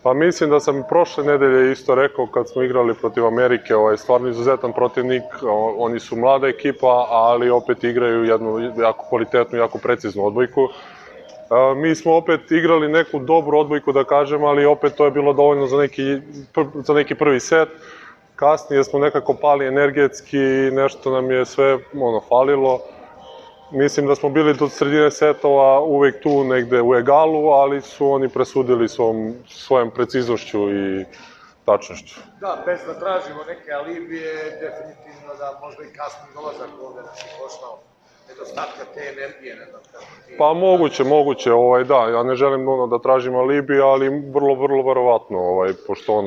Pa mislim da sam prošle nedelje isto rekao kad smo igrali protiv Amerike, stvarno izuzetan protivnik, oni su mlada ekipa, ali opet igraju jednu jako kvalitetnu, jako preciznu odbojku. Mi smo opet igrali neku dobru odbojku, da kažem, ali opet to je bilo dovoljno za neki prvi set. Kasnije smo nekako pali energetski, nešto nam je sve falilo. Mislim da smo bili do sredine setova uvek tu negde u egalu, ali su oni presudili svojom preciznošću i tačnošću. Da, bez da tražimo neke alibije, definitivno da možda i kasni dolazak ovde nas je koštao nedostatka te energije, ne znam kako ti... Pa moguće, da, ja ne želim da tražim alibi, ali vrlo verovatno, pošto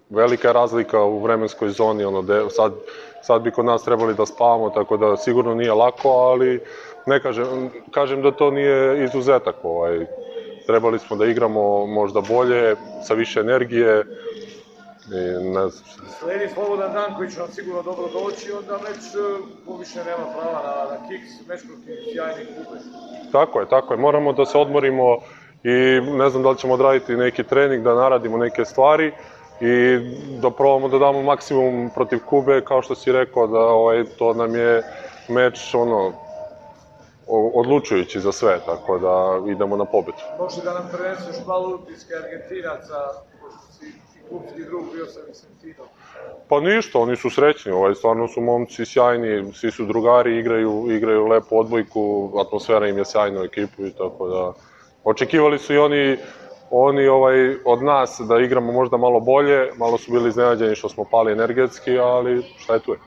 velika je razlika u vremenskoj zoni, sad bi kod nas trebali da spavamo, tako da sigurno nije lako, ali ne kažem da to nije izuzetak, trebali smo da igramo možda bolje, sa više energije. Sledi slobodan dan koji će nam sigurno dobro doći, onda meč poviše nema prava na kiks, meč protiv sjajnih Kube. Tako je, moramo da se odmorimo i ne znam da li ćemo odraditi neki trening, da naradimo neke stvari i da probamo da damo maksimum protiv Kube, kao što si rekao, da to nam je meč odlučujući za sve, tako da idemo na pobedu. Može da nam preneseš malo utiske Argentinaca, pošto si klubski drug, bio sam i Sentinom. Pa ništa, oni su srećni, stvarno su momci sjajni, svi su drugari, igraju lepu odbojku, atmosfera im je sjajna u ekipu i tako da... Očekivali su i oni od nas da igramo možda malo bolje, malo su bili iznenađeni što smo pali energetski, ali šta je tu je.